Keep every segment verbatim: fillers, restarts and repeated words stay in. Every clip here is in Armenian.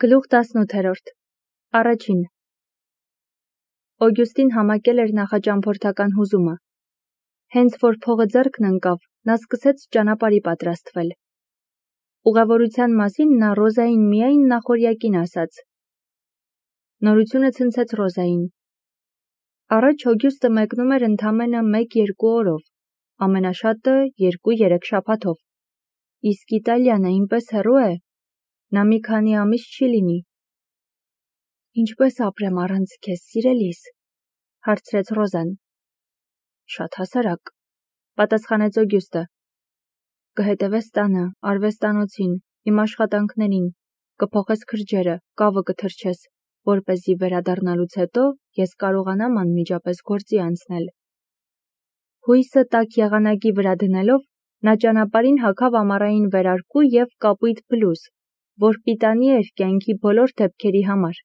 Գլուխ տասնութերորդ Առաջին Օգյուստին համակել էր նախաճամփորդական հուզումը։ Հենց որ փողը ձեռքն ընկավ, նա սկսեց ճանապարհի պատրաստվել։ Ուղևորության մասին նա Ռոզային միայն նախօրյակին ասաց։ Նորությունը ցնցեց Ռոզային։ Առաջ Օգյուստը մեկնում էր ընդամենը մեկ-երկու օրով, ամենաշատը երկու-երեք շաբաթով։ Իսկ Իտալիան այնպես հեռու է, նա մի քանի ամիս չի լինի։ Ինչպես ապրեմ առանց քեզ, սիրելիս, հարցրեց Ռոզան։ Շատ հասարակ, պատասխանեց Օգյուստը։ Կհետևես տանը, արվեստանոցին, իմ աշխատանքներին, կփոխես քրջերը, կավը կթրջես, որպեսզի վերադառնալուց հետո ես կարողանամ անմիջապես գործի անցնել։ Հույսը տաք եղանակի վրա դնելով, նա ճանապարհին հագավ ամառային վերարկու և կապույտ բլուզ, որ պիտանի էր կյանքի բոլոր դեպքերի համար,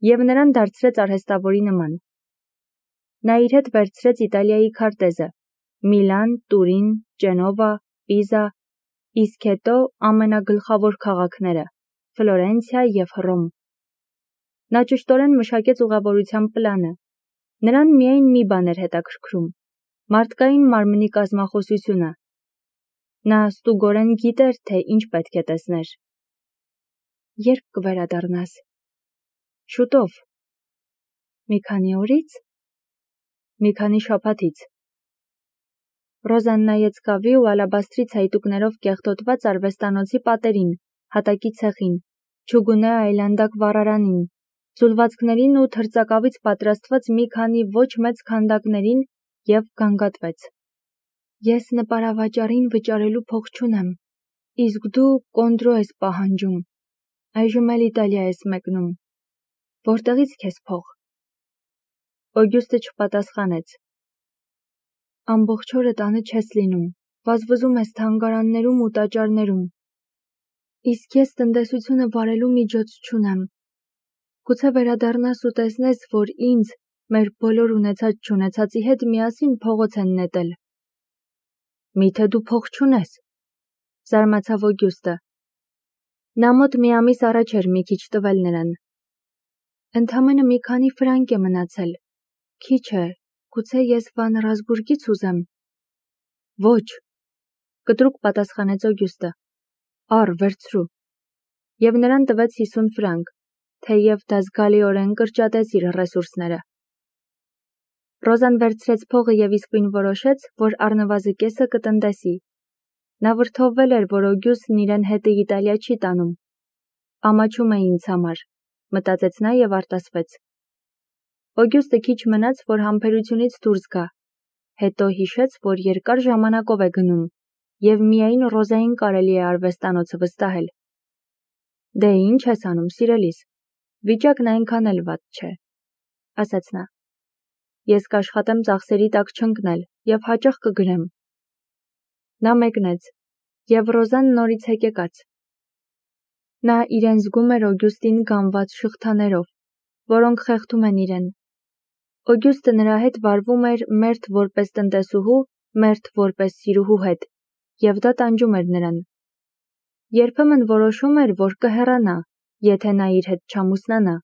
և նրան դարձրեց արհեստավորի նման։ Նա իր հետ վերցրեց Իտալիայի քարտեզը՝ Միլան, Տուրին, Ճենովա, Պիզա, իսկ հետո ամենագլխավոր քաղաքները՝ Ֆլորենցիա և Հռոմ։ Նա ճշտորեն մշակեց ուղևորության պլանը։ Նրան միայն մի բան էր հետաքրքրում՝ մարդկային մարմնի կազմախոսությունը։ Նա ստուգորեն գիտեր, թե ինչ պետք է տեսներ։ Երբ կվերադառնաս։ Շուտով։ Մի քանի օրի՞ց։ Մի քանի շաբաթից։ Ռոզան նայեց կավի ու ալաբաստրի ցայտուկներով կեղտոտված արվեստանոցի պատերին, հատակի ցեղին, չուգունե այլանդակ վառարանին, ձուլվածքներին ու թրծակավից պատրաստված մի քանի ոչ մեծ քանդակներին և գանգատվեց։ Ես նպարավաճառին վճարելու փող չունեմ, իսկ դու կոնդրո ես պահանջում, այժմ էլ Իտալիա ես մեկնում։ Որտեղից քեզ փող։ Օգյուստը չպատասխանեց։ Ամբողջ օրը տանը չես լինում, վազվզում ես թանգարաններում ու տաճարներում։ Իսկ ես տնտեսությունը վարելու միջոց չունեմ։ Գուցե վերադառնաս ու տեսնես, որ ինձ, մեր բոլոր ունեցած-չունեցածի հետ միասին փողոց են նետել։ Միթե դու փող չունես, զարմացավ Օգյուստը։ Նա մոտ մի ամիս առաջ էր մի քիչ տվել նրան։ Ընդամենը մի քանի ֆրանկ է մնացել։ Քիչ է, գուցե ես Վան Ռազբուրգից ուզեմ։ Ոչ, կտրուկ պատասխանեց Օգյուստը։ Առ, վերցրու։ Եվ նրան տվեց հիսուն ֆրանկ, թեև դա զգալիորեն կրճատեց իր ռեսուրսները։ Ռոզան վերցրեց փողը և իսկույն որոշեց, որ առնվազն կեսը կտնտեսի։ Նա վրդովվել էր, որ Օգյուստն իրեն հետը Իտալիա չի տանում։ Ամաչում է ինձ համար, մտածեց նա և արտասվեց։ Օգյուստը քիչ մնաց, որ համբերությունից դուրս գա, հետո հիշեց, որ երկար ժամանակով է գնում, և միայն Ռոզային կարելի է արվեստանոցը վստահել։ Դե ինչ ես անում, սիրելիս, վիճակն այնքան էլ վատ չէ, ասաց նա։ Ես կաշխատեմ ծախսերի տակ չընկնել և հաճախ կգրեմ։ Նա մեկնեց, և Ռոզան նորից հեկեկաց։ Նա իրեն զգում էր Օգյուստին գանված շղթաներով, որոնք խեղդում են իրեն։ Օգյուստը նրա հետ վարվում էր մերթ որպես տնտեսուհու, մերթ որպես սիրուհու հետ, և դա տանջում էր նրան։ Երբեմն որոշում էր, որ կհեռանա, եթե նա իր հետ չամուսնանա,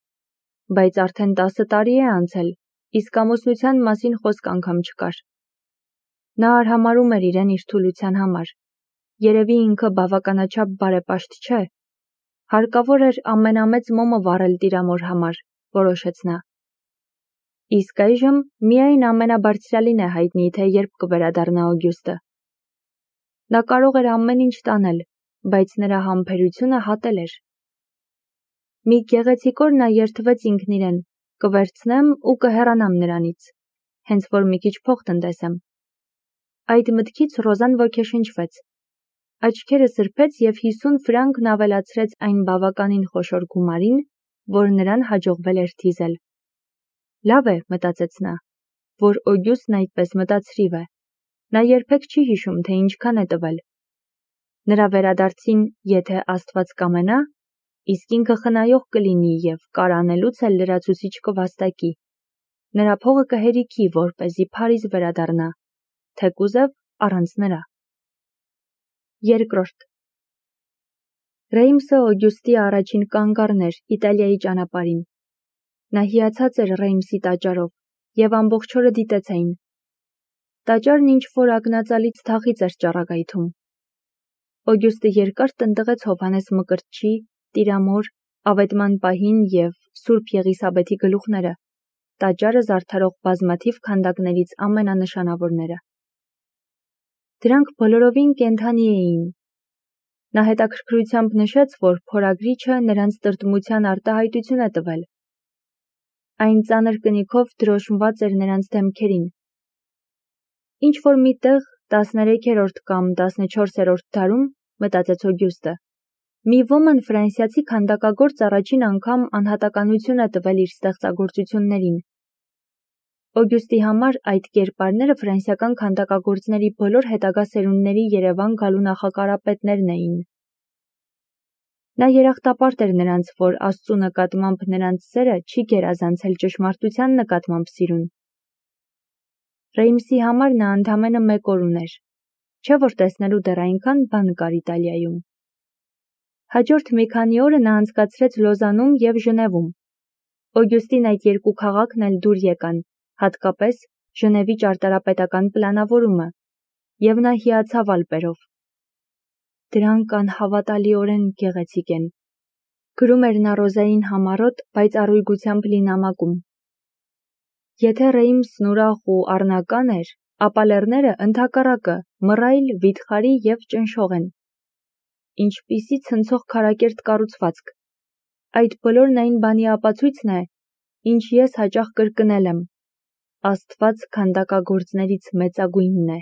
բայց արդեն տասը տարի է անցել, իսկ ամուսնության մասին խոսք անգամ չկար։ Նա արհամարհում էր իրեն իր թուլության համար։ Երևի ինքը բավականաչափ բարեպաշտ չէ։ Հարկավոր էր ամենամեծ մոմը վառել տիրամոր համար, որոշեց նա։ Իսկ այժմ միայն ամենաբարձրյալին է հայտնի, թե երբ կվերադառնա Օգյուստը։ Նա կարող էր ամեն ինչ տանել, բայց նրա համբերությունը հատել էր։ Մի գեղեցիկ օր նա երդվեց ինքն իրեն. կվերցնեմ ու կհեռանամ նրանից, հենց որ մի քիչ փող տնտեսեմ։ Այդ մտքից Ռոզան ոգեշնչվեց։ Աչքերը սրբեց և հիսուն ֆրանկն ավելացրեց այն բավականին խոշոր գումարին, որ նրան հաջողվել էր թիզել։ Լավ է, մտածեց նա, որ Օգյուստն այդպես մտածրիվ է։ Նա երբեք չի հիշում, թե ինչքան է տվել։ Նրա վերադարձին, եթե Աստված կամենա, իսկ ինքը խնայող կլինի և կարանելուց էլ լրացուցիչ կվաստակի։ Նրա փողը կհերիքի, որպեսզի Փարիզ վերադառնա, թեկուզև առանց նրա։ Երկրորդ Ռեյմսը Օգյուստի առաջին կանգառն էր Իտալիայի ճանապարհին։ Նա հիացած էր Ռեյմսի տաճարով և ամբողջ օրը դիտեց այն։ Տաճարն ինչ-որ ակնածալից թախիծ էր ճառագայթում։ Օգյուստը երկար տնտղեց Հովհաննես Մկրտչի, Տիրամոր, Ավետման պահին և Սուրբ Եղիսաբեթի գլուխները, տաճարը զարդարող բազմաթիվ քանդակներից ամենանշանավորները։ Դրանք բոլորովին կենդանի էին։ Նա հետաքրքրությամբ նշեց, որ փորագրիչը նրանց տրտմության արտահայտություն է տվել։ Այն ծանր կնիքով դրոշմված էր նրանց դեմքերին։ Ինչ-որ մի տեղ տասներեքերորդ կամ տասնչորսերորդ դարում, մտածեց Օգյուստը, մի ոմն ֆրանսիացի քանդակագործ առաջին անգամ անհատականություն է տվել իր ստեղծագործություններին։ Օգյուստի համար այդ կերպարները ֆրանսիական քանդակագործների բոլոր հետագա սերունդների Երևան գալու նախակարապետներն էին։ Նա երախտապարտ էր նրանց, որ Աստծու նկատմամբ նրանց սերը չի գերազանցել ճշմարտության նկատմամբ սիրուն։ Ռեյմսի համար նա ընդամենը մեկ օր ուներ, չէ՞ որ տեսնելու դեռ այնքան բան կար Իտալիայում։ Հաջորդ մի քանի օրը նա անցկացրեց Լոզանում և Ժնևում։ Օգյուստին այդ երկու քաղաքն էլ դուր եկան, հատկապես Ժնևի ճարտարապետական պլանավորումը, և նա հիացավ ալպերով։ Դրանք անհավատալիորեն գեղեցիկ են, գրում էր նա Ռոզային համառոտ, բայց առույգությամբ լի նամակում։ Եթե Ռեյմսն ուրախ ու առնական էր, ապա լեռները ընդհակառակը մռայլ, վիթխարի և ճնշող են։ Ինչպիսի ցնցող քարակերտ կառուցվածք։ Այդ բոլորն այն բանի ապացույցն է, ինչ ես հաճախ կրկնել եմ. Աստված քանդակագործներից մեծագույնն է։